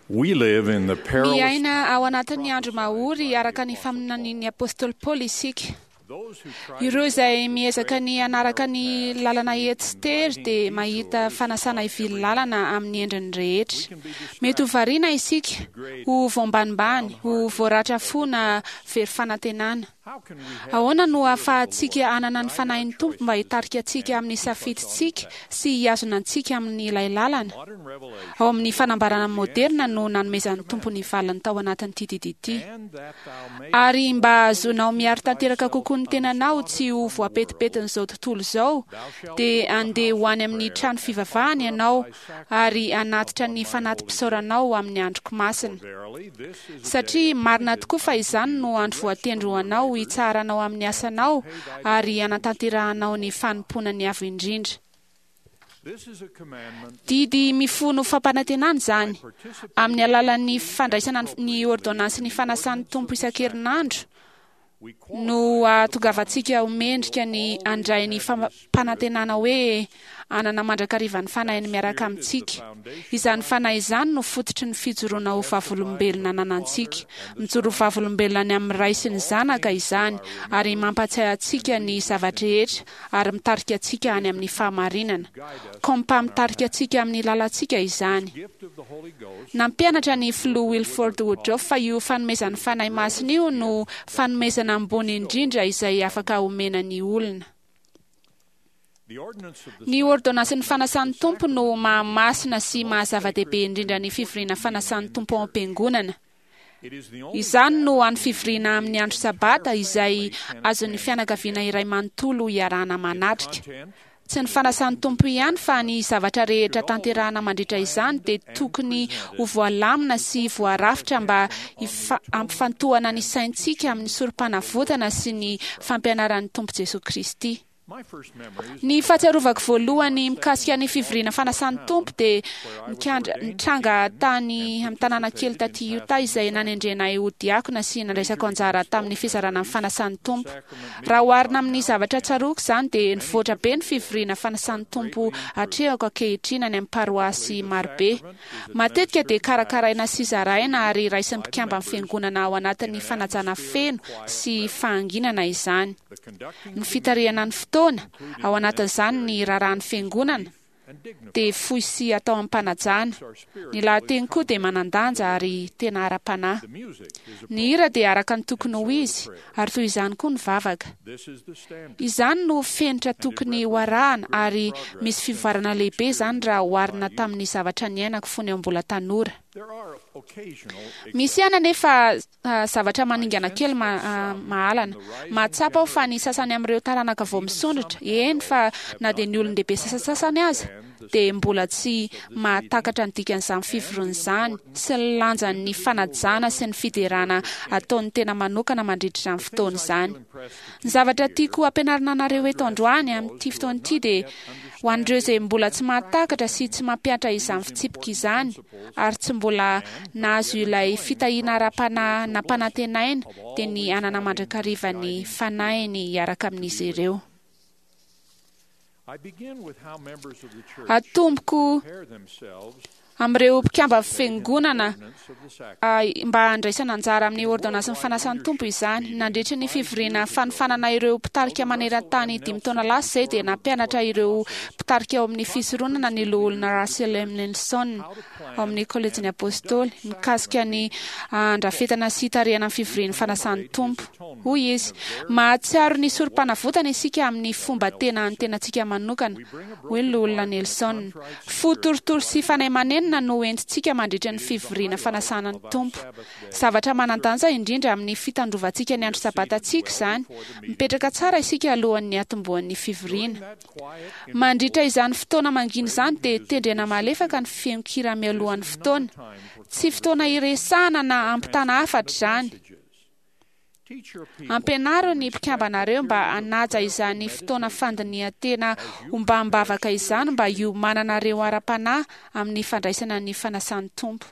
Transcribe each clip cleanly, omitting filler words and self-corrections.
We live in the perilous Miaina ao anatin'ny andro mahory araka ny faminanian'ny apostoly Paoly isika. Ireo izay miezaka ny hanaraka ny lalana ety sy tery dia mahita fanasana hivily lalana amin'ny endriny rehetra. Mety ho variana isika, ho voambanimbany, ho voaratra fo na very fanantenana. Ahoana no ahafahantsika hanana ny Fanahin'ny Tompo mba hitarika antsika amin'ny safidintsika sy hihazona antsika amin'ilay lalana? Ao amin'ny fanambarana moderina no nanomezan'ny Tompo ny valiny tao anatin'ity didy ity. Ary mba hahazoanao miaro tanteraka kokoa ny tenanao tsy ho voapetipetin'izao tontolo izao, dia handeha ho any amin'ny trano fivavahana ianao ary hanatitra ny fanati-pisaoranao amin'ny androko masina. Satria marina tokoa fa izany no andro voatendry ho anao hitsaharanao amin'ny asanao ary hanatanterahanao ny fanompoana ny Avo Indrindra. Didy mifono fampanantenana izany, amin'ny alalan'ny fandraisana ny ôrdônansin'ny fanasan'ny Tompo isan-kerinandro, no hahatongavantsika ho mendrika ny handray ny fampanantenana hoe hanana mandrakariva ny Fanahiny miaraka amintsika. Izany Fanahy izany no fototry ny fijoroana ho vavolombelona ananantsika. Mijoro ho vavolombelona ny amin'ny Ray sy ny Zanaka izany, ary mampahatsiahy antsika ny zava-drehetra ary mitarika antsika any amin'ny fahamarinana. Kompa mitarika antsika amin'ny lalantsika izany. Nampianatra ny Filoha Wilford Woodruff fa io fanomezan'ny Fanahy Masina io no fanomezana ambony indrindra izay afaka omena ny olona. Ny ôrdônansin'ny fanasan'ny Tompo no maha-masina sy maha-zava-dehibe indrindra ny fivoriana fanasan'ny Tompo ao am-piangonana. Izany no hany fivoriana amin'ny andro Sabata izay azon'ny fianakaviana iray manontolo iarahana manatrika. Tsy ny fanasan'ny Tompo ihany fa ny zavatra rehetra tanterahana mandritra izany dia tokony ho voalamina sy voarafitra mba hampifantohana ny saintsika amin'ny Sorompanavotana sy ny fampianaran'ny Tompo Jesoa Kristy. Ny fahatsiarovako voalohany mikasika ny fivoriana fanasan'ny Tompo dia nikandra, nitranga tany amin'ny tanàna kely taty Utah izay nanendrena ahy ho diakona sy nandraisako anjara tamin'ny fizarana ny fanasan'ny Tompo. Raha oharina amin'ny zavatra tsaroako izany dia nivoatra be ny fivoriana fanasan'ny Tompo atrehako ankehitriny any amin'ny paroasy marobe. Matetika dia karakaraina sy zaraina ary raisin'ny mpikamban'ny Fiangonana ao anatin'ny fanajana feno sy fahanginana izany. Ny fitarihana ny fotoana, ao anatin'izany ny raharahan'ny Fiangonana, dia fohy sy atao amim-panajana. Ny lahateny koa dia manan-danja ary tena ara-panahy. Ny hira dia araka ny tokony ho izy, ary toy izany koa ny vavaka. Izany no fenitra tokony ho arahana ary misy fivoarana lehibe izany raha oharina tamin'ny zavatra niainako fony aho mbola tanora. Misy ihany anefa zavatra maningana kely mahalana. Mahatsapa aho fa ny sasany amin'ireo taranaka vao misondrotra, eny fa na dia ny olon-dehibe sasantsasany aza, dia mbola tsy mahatakatra ny dikan'izany fivoriana izany sy ny lanjan'ny fanajana sy ny fiderana ataon'ny tena manokana mandritra izany fotoana izany. Ny zavatra tiako hampianarina anareo eto androany amin'ity fotoana ity dia ho an'ireo izay mbola tsy mahatakatra sy tsy mampihatra izany fitsipika izany ary tsy mbola nahazo ilay fitahiana ara-panahy nampanantenaina dia ny hanana mandrakariva ny Fanahiny hiaraka amin'izy ireo. Atomboko amin'ireo mpikamban'ny Fiangonana mba handraisana anjara amin'ny ôrdônansin'ny fanasan'ny Tompo izany. Nandritry ny fivoriana fanofanana ireo mpitarika maneran-tany dimy taona lasa izay dia nampianatra ireo mpitarika ao amin'ny fisoronana ny Loholona Russell M. Nelson ao amin'ny Kôlejin'ny Apôstôly mikasika ny handrafetana sy hitarihana ny fivorian'ny fanasan'ny Tompo. Hoy izy, Mahatsiaro ny Sorompanavotana isika amin'ny fomba tena an'ny tenantsika manokana, hoy ny Loholona Nelson. Fo torotoro sy fanahy manenina no entintsika mandritra ny fivoriana fanasana ny Tompo. Zavatra manan-danja indrindra amin'ny fitandrovantsika ny andro Sabatantsika izany. Mipetraka tsara isika alohan'ny hatombohan'ny fivoriana. Mandritra izany fotoana mangina izany dia tendrena malefaka ny feon-kira mialohan'ny fotoana. Tsy fotoana hiresahana na hampitana hafatra izany. Ampianaro ny mpikambanareo mba hanaja izany fotoana fandinihan-tena ombàm-bavaka izany mba hiomananareo ara-panahy amin'ny fandraisana ny fanasan'ny Tompo.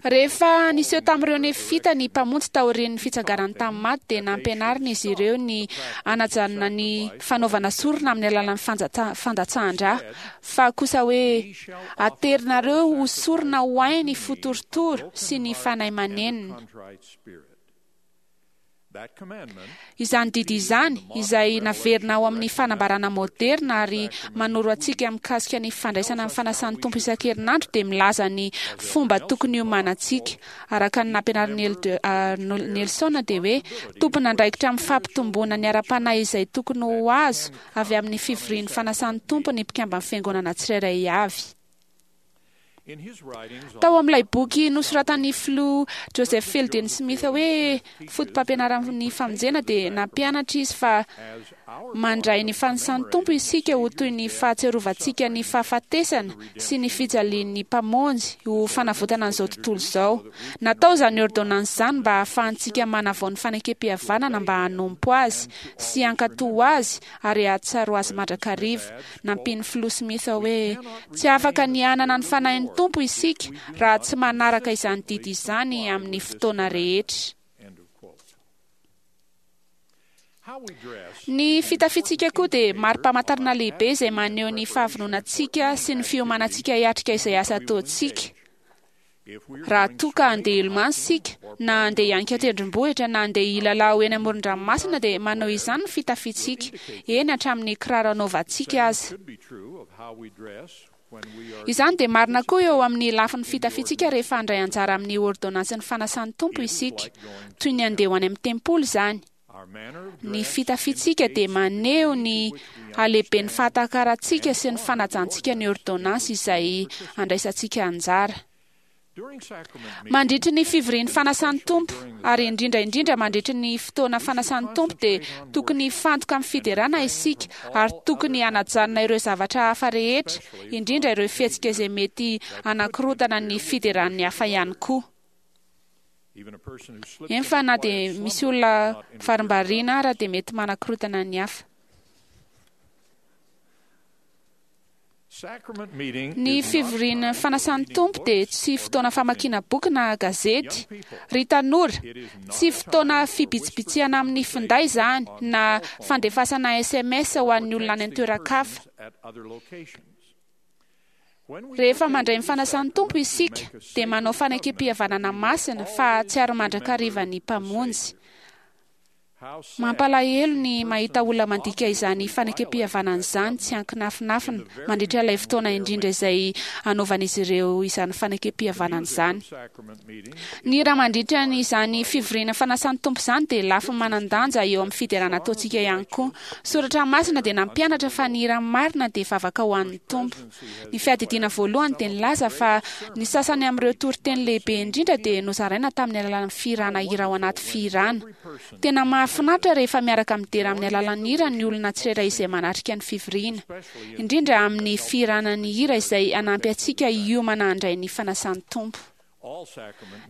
Rehefa niseho tamin'ireo Nefita ny Mpamonjy taorian'ny fitsanganany tamin'ny maty, dia nampianariny izy ireo ny hanajanona ny fanaovana sorona amin'ny alalan'ny fandatsahan-drà, fa kosa hoe, Aterinareo ho sorona ho ahy ny fo torotoro sy ny fanahy manenina. Izany didy izany, izay naverina ao amin'ny fanambarana maoderina ary manoro antsika mikasika ny fandraisana ny fanasan'ny Tompo isan-kerinandro, dia milaza ny fomba tokony hiomanantsika. Araka ny nampianarin'i Elder Nelson dia hoe, Tompon'andraikitra amin'ny fampitomboana ny ara-panahy izay tokony ho azo avy amin'ny fivorian'ny fanasan'ny Tompo ny mpikamban'ny Fiangonana tsirairay avy. Tao amin'ilay boky nosoratan'ny Filoha Joseph Fielding Smith hoe Fotopampianaran'ny Famonjena dia nampianatra izy fa mandray ny fanisan'ny Tompo isika ho toy ny fahatsiarovantsika ny fahafatesana sy ny fijalian'ny Mpamonjy ho fanavotana an'izao tontolo izao. Natao izany ôrdônansy izany mba hahafahantsika manavao ny fanekempihavanana mba hanompo Azy sy hankatò Azy ary hahatsiaro Azy mandrakariva. Nampian'ny Filoha Smith hoe, Tsy afaka ny hanana ny Fanahin'ny Tompo isika raha tsy manaraka izany didy izany amin'ny fotoana rehetra. Ny fitafiantsika koa dia mari-pamantarana lehibe izay maneho ny fahavononantsika sy ny fiomanantsika hiatrika izay asa ataontsika. Raha toa ka handeha hilomano isika, na handeha hianika tendrombohitra, na handeha hilalao eny amoron-dranomasina dia manao izany ny fitafiantsika, eny hatramin'ny kiraro anaovantsika aza. Izany dia marina koa eo amin'ny lafiny fitafiantsika rehefa handray anjara amin'ny ôrdônansin'ny fanasan'ny Tompo isika. Toy ny handeha ho any amin'ny tempoly izany. Ny fitafiantsika dia maneho ny halehiben'ny fahatakarantsika sy ny fanajantsika ny ôrdônansy izay andraisantsika anjara. Mandritry ny fivorian'ny fanasan'ny Tompo, ary indrindra indrindra mandritry ny fotoana fanasan'ny Tompo dia tokony hifantoka amin'ny fiderana isika ary tokony hanajanona ireo zavatra hafa rehetra, indrindra ireo fihetsika izay mety hanakorontana ny fideran'ny hafa ihany koa. Eny fa na dia misy olona varimbariana ara dia mety manakorontana ny hafa. Ny fivoriana fanasan'ny Tompo dia tsy fotoana famakiana boky na gazety. Ry tanora, tsy fotoana fibitsibitsihana amin'ny finday izany na fandefasana sms ho an'ny olona any an-toeran-kafa. Rehefa mandray ny fanasan'ny Tompo isika, dia manao fanekempihavanana masina fa hahatsiaro mandrakariva ny Mpamonjy. Mampalahelo ny mahita olona mandika izany fanekempihavanana izany tsy an-kinafinafina mandritra ilay fotoana indrindra izay anaovan'izy ireo izany fanekempihavanana izany. Ny hira mandritra izany fivoriana fanasan'ny Tompo izany dia lafiny manan-danja eo amin'ny fiderana ataontsika ihany koa. Soratra Masina dia nampianatra fa ny hira marina dia vavaka ho an'ny Tompo. Ny Fiadidiana Voalohany dia nilaza fa ny sasany amin'ireo toriteny lehibe indrindra dia nozaraina tamin'ny alalan'ny fihirana hira ao anaty fihirana. Tena mahafinaritra rehefa miaraka midera amin'ny alalan'ny hira ny olona tsirairay izay manatrika ny fivoriana, indrindra amin'ny fihirana ny hira izay hanampy antsika hiomana handray ny fanasan'ny Tompo.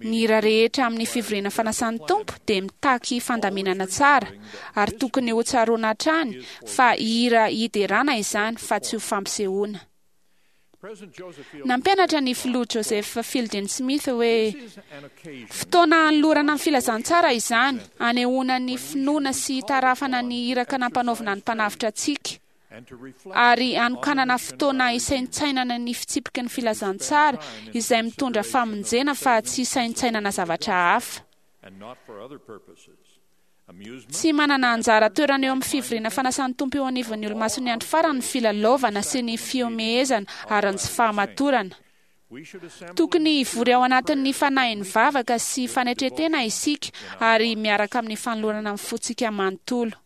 Ny hira rehetra amin'ny fivoriana fanasan'ny Tompo dia mitaky fandaminana tsara, ary tokony hotsaroana hatrany fa hira hiderana izany fa tsy ho fampisehoana. Nampianatra ny Filoha Joseph Fielding Smith hoe, Fotoana hanolorana ny filazantsara izany, hanehoana ny finoana sy hitarafana ny iraka nampanaovina ny Mpanavotra antsika. ary hanokanana fotoana hisaintsainana ny fitsipiky ny filazantsara izay mitondra famonjena fa tsy hisaintsainana zavatra hafa. Tsy manana anjara toerana eo amin'ny fivoriana fanasan'ny Tompo eo anivon'ny Olomasin'ny Andro Farany ny filalaovana sy ny fihomehezana ary ny tsy fahamatorana. Tokony hivory ao anatin'ny fanahin'ny vavaka sy fanetren-tena isika ary miaraka amin'ny fanolorana ny fontsika manontolo.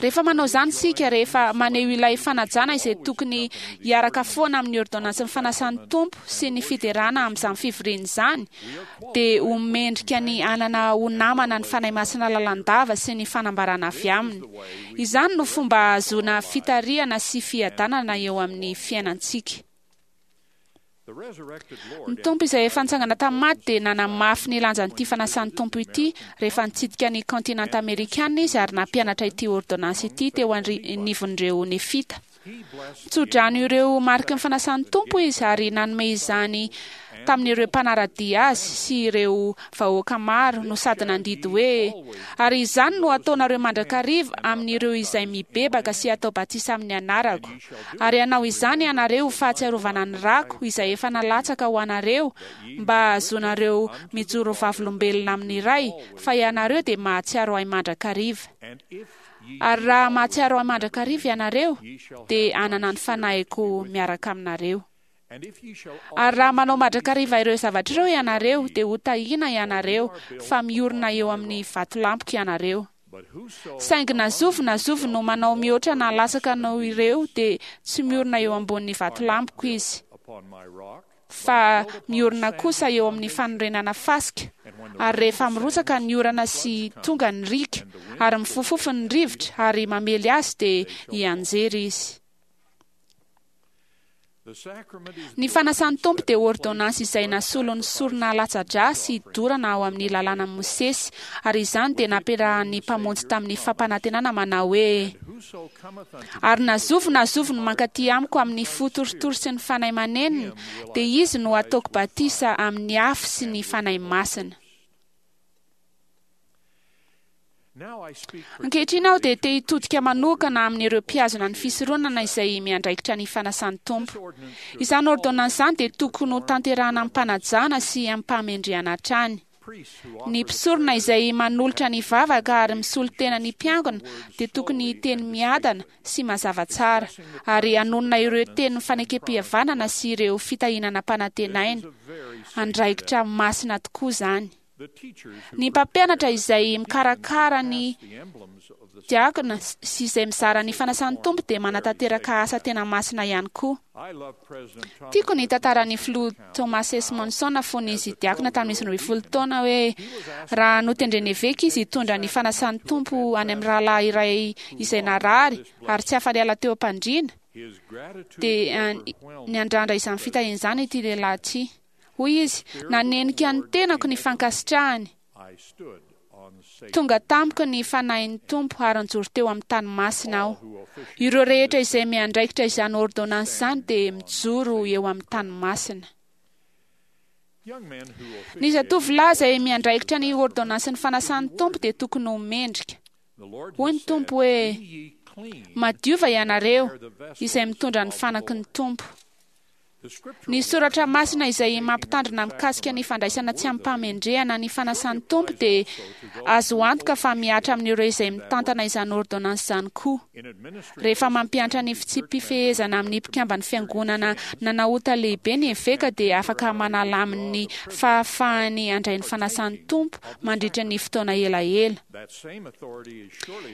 Rehefa manao izany isika, rehefa maneho ilay fanajana izay tokony hiaraka foana amin'ny ôrdônansin'ny fanasan'ny Tompo sy ny fiderana amin'izany fivoriana izany, dia ho mendrika ny hanana ho namana ny Fanahy Masina lalandava sy ny fanambarana avy Aminy. Izany no fomba ahazoana fitarihana sy fiadanana eo amin'ny fiainantsika. Ny Tompo izay efa nitsangana tamin'ny maty dia nanamafy ny lanjan'ity fanasan'ny Tompo ity rehefa nitsidika ny kaontinanta amerikana izy ary nampianatra ity ôrdônansy ity teo anivon'ireo Nefita. Nitsodrano ireo mariky ny fanasan'ny Tompo izy ary nanome izany tamin'ireo mpanara-dia azy sy ireo vahoaka maro no sady nandidy hoe, Ary izany no hataonareo mandrakariva amin'ireo izay mibebaka sy atao batisa amin'ny anarako. Ary hanao izany ianareo ho fahatsiarovana ny rako izay efa nalatsaka ho anareo mba hahazoanareo mijoro vavolombelona amin'ny Ray fa ianareo dia mahatsiaro ahy mandrakariva. Ary raha mahatsiaro ahy mandrakariva ianareo dia hanana ny fanahiko miaraka aminareo. Ary raha manao mandrakariva ireo zavatra ireo ianareo, dia hotahiana ianareo, fa miorina eo amin'ny vatolampiko ianareo. Saingy na zovy na zovy no manao mihoatra na latsaka noho ireo, dia tsy miorina eo ambonin'ny vatolampiko izy, fa miorina kosa eo amin'ny fanorenana fasika, ary rehefa mirotsaka ny orana sy tonga ny riaka, ary mifofofo ny rivotra ary mamely azy, dia hianjera izy. Ny fanasan'ny Tompo dia ôrdônansy izay nasolo ny sorona latsa-drà sy dorana ao amin'ny lalànan'i Mosesy, ary izany dia nampiarahan'ny Mpamonjy tamin'ny fampanantenana manao hoe, Ary na zovy na zovy no mankaty amiko amin'ny fo torotoro sy ny fanahy manenina, dia izy no hataoko batisa amin'ny afo sy ny Fanahy Masina. Ankehitriny aho dia te hitodika manokana amin'ireo mpihazona ny fisoronana izay miandraikitra ny fanasan'ny Tompo. Izany ôrdônansy izany dia tokony ho tanterahana amim-panajana sy amim-pahamendrehana hatrany. Ny mpisorona izay manolotra ny vavaka ary misolo tena ny mpiangona dia tokony hiteny miadana sy mazava tsara, ary hanonona ireo tenin'ny fanekempihavanana sy ireo fitahiana nampanantenaina. Andraikitra masina tokoa izany. Ny mpampianatra izay mikarakara ny diakona sy izay mizara ny fanasan'ny Tompo dia manatanteraka asa tena masina ihany koa. Tiako ny tantaran'ny filoha Thomas S. Monson fony izy diakona tamin'izy 12 taona hoe raha notendren'ny eveka izy hitondra ny fanasan'ny Tompo any amin'ny rahalahy iray izay narary ary tsy afa-niala teo am-pandriana, dia niandrandra izany fitahiana izany ity lehilahy ity. Hoy izy, Nanenika ny tenako ny fankasitrahany. Tonga tamiko ny Fanahin'ny Tompo ary nijoro teo amin'ny tany masina aho. Ireo rehetra izay miandraikitra izany ôrdônansy izany dia mijoro eo amin'ny tany masina. Ny zatovolahy izay miandraikitra ny ôrdônansin'ny fanasan'ny Tompo dia tokony ho mendrika. Hoy ny Tompo hoe, Madiova ianareo izay mitondra ny fanaky ny Tompo. Ny soratra masina izay mampitandrina mikasika ny fandraisana tsy amim-pahamendrehana ny fanasan'ny Tompo dia azo antoka fa mihatra amin'ireo izay mitantana izany ôrdônansy izany koa. Rehefa mampiantra ny fitsipi-pifehezana amin'ny mpikamban'ny Fiangonana nanao ota lehibe ny eveka dia afaka manala aminy ny fahafahany handray ny fanasan'ny Tompo mandritra ny fotoana elaela.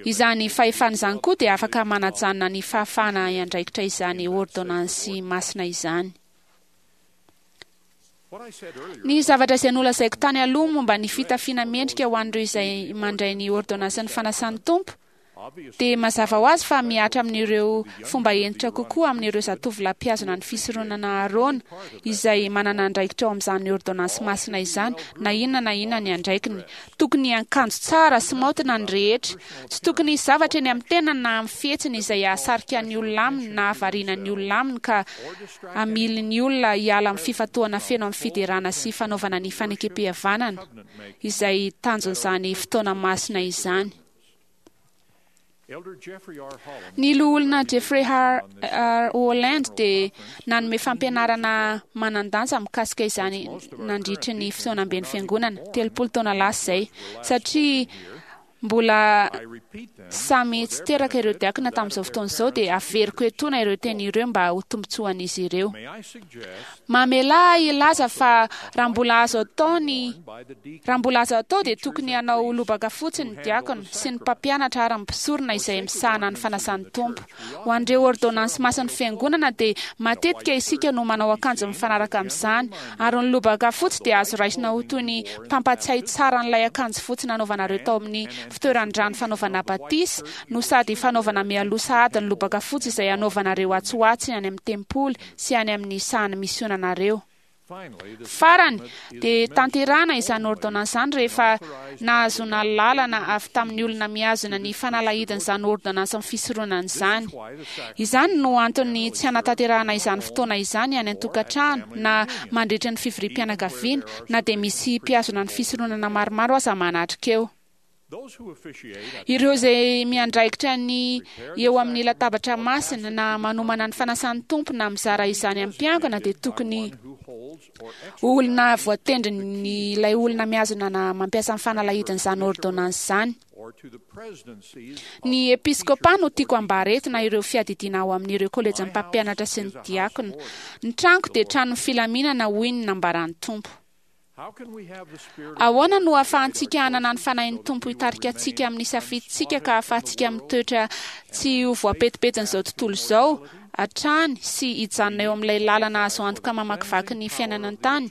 Izany fahefana izany koa dia afaka manajanona ny fahafahana hiandraikitra izany ôrdônansy masina izany. Ny zavatra izay nolazaiko tany aloha momba ny fitafiana mendrika ho an'ireo izay mandray ny ôrdônansin'ny fanasan'ny Tompo dia mazava ho azy fa mihatra amin'ireo fomba hentitra kokoa amin'ireo zatovolahy mpihazona ny fisoronana Aharôna izay manana andraikitra ao amin'izany ôrdônansy masina izany na inona na inona ny andraikiny. Tokony hiankanjo tsara sy maotina ny rehetra. Tsy tokony hisy zavatra eny amin'ny tenany na amin'ny fihetsiny izay hahasarika ny olona aminy na hahavariana ny olona aminy ka hamily ny olona hiala amin'ny fifantohana feno amin'ny fiderana sy fanaovana ny fanekempihavanana, izay tanjon'izany fotoana masina izany. Ny Loholona Jeffrey R. Holland dia nanome fampianarana manan-danja mikasika izany nandritry ny fihaonamben'ny Fiangonana, 30 taona lasa izay, satria mbola samy tsy teraka ireo diakona tamin'izao fotoana izao, dia averiko etoana ireo teny ireo mba ho tombontsoan'izy ireo. Mamelà ahy hilaza fa raha mbola azo atao ny Raha mbola azo atao dia tokony hanao lobaka fotsy ny diakona sy ny mpampianatra ary ny mpisorona izay misahana ny fanasan'ny Tompo. Ho an'ireo ôrdônansy masin'ny Fiangonana dia matetika isika no manao akanjo mifanaraka amin'izany, ary ny lobaka fotsy dia azo raisina ho toy ny mpampatsiahy tsara an'ilay akanjo fotsy nanaovanareo tao amin'ny fitoeran-drano fanaovana batisa no sady fanaovana mialoha sahady ny lobaka fotsy izay hanaovanareo atsy ho atsy any amin'ny tempoly sy any amin'ny sahan'ny misionanareo. Farany, dia tanterahana izany ôrdônansy izany rehefa nahazoana lalana avy tamin'ny olona mihazona ny fanalahidin'izany ôrdônansin'ny fisoronana izany. Izany no antony tsy hanatanterahana izany fotoana izany any an-tokantrano na mandritra ny fivoriam-pianakaviana, na dia misy mpihazona ny fisoronana maromaro aza manatrika eo. Ireo izay miandraikitra ny eo amin'ny latabatra masina na manomana ny fanasan'ny Tompo na mizara izany amin'ny mpiangona dia tokony ho olona voatendrin'ilay olona mihazona na mampiasa ny fanalahidin'izany ôrdônansy izany. Ny episkôpà no tiako ambara eto na ireo fiadidiana ao amin'ireo kôlejin'ny mpampianatra sy ny diakona. Ny tranoko dia tranon'ny filaminana hoy ny nambaran'ny Tompo. Ahoana no ahafahantsika hanana ny Fanahin'ny Tompo hitarika antsika amin'ny safidintsika ka ahafahantsika mitoetra tsy ho voapetipetsin'izao tontolo izao hatrany sy hijanona eo amin'ilay lalana azo antoka mamakivaky ny fiainana an-tany?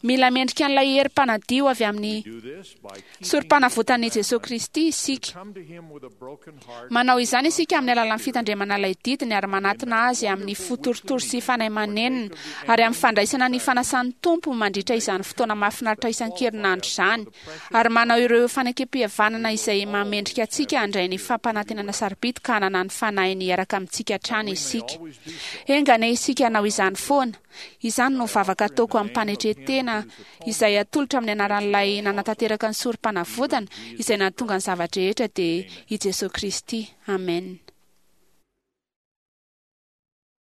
Mila mendrika an'ilay hery mpanadio avy amin'ny Sorompanavotan'i Jesoa Kristy isika. Manao izany isika amin'ny alalan'ny fitandremana ilay didiny ary manatona Azy amin'ny fo torotoro sy fanahy manenina ary amin'ny fandraisana ny fanasan'ny Tompo mandritra izany fotoana mahafinaritra isan-kerinandro izany ary manao ireo fanekempihavanana izay mahamendrika antsika handray ny fampanantenana sarobidy ka hanana ny Fanahiny hiaraka amintsika hatrany isika. Enga anie isika hanao izany foana. Izany no vavaka ataoko amim-panetren-tena izay atolotra amin'ny anaran'ilay nanatanteraka ny sorom-panavotana izay nahatonga ny zava-drehetra dia i Jesoa Kristy. Amen.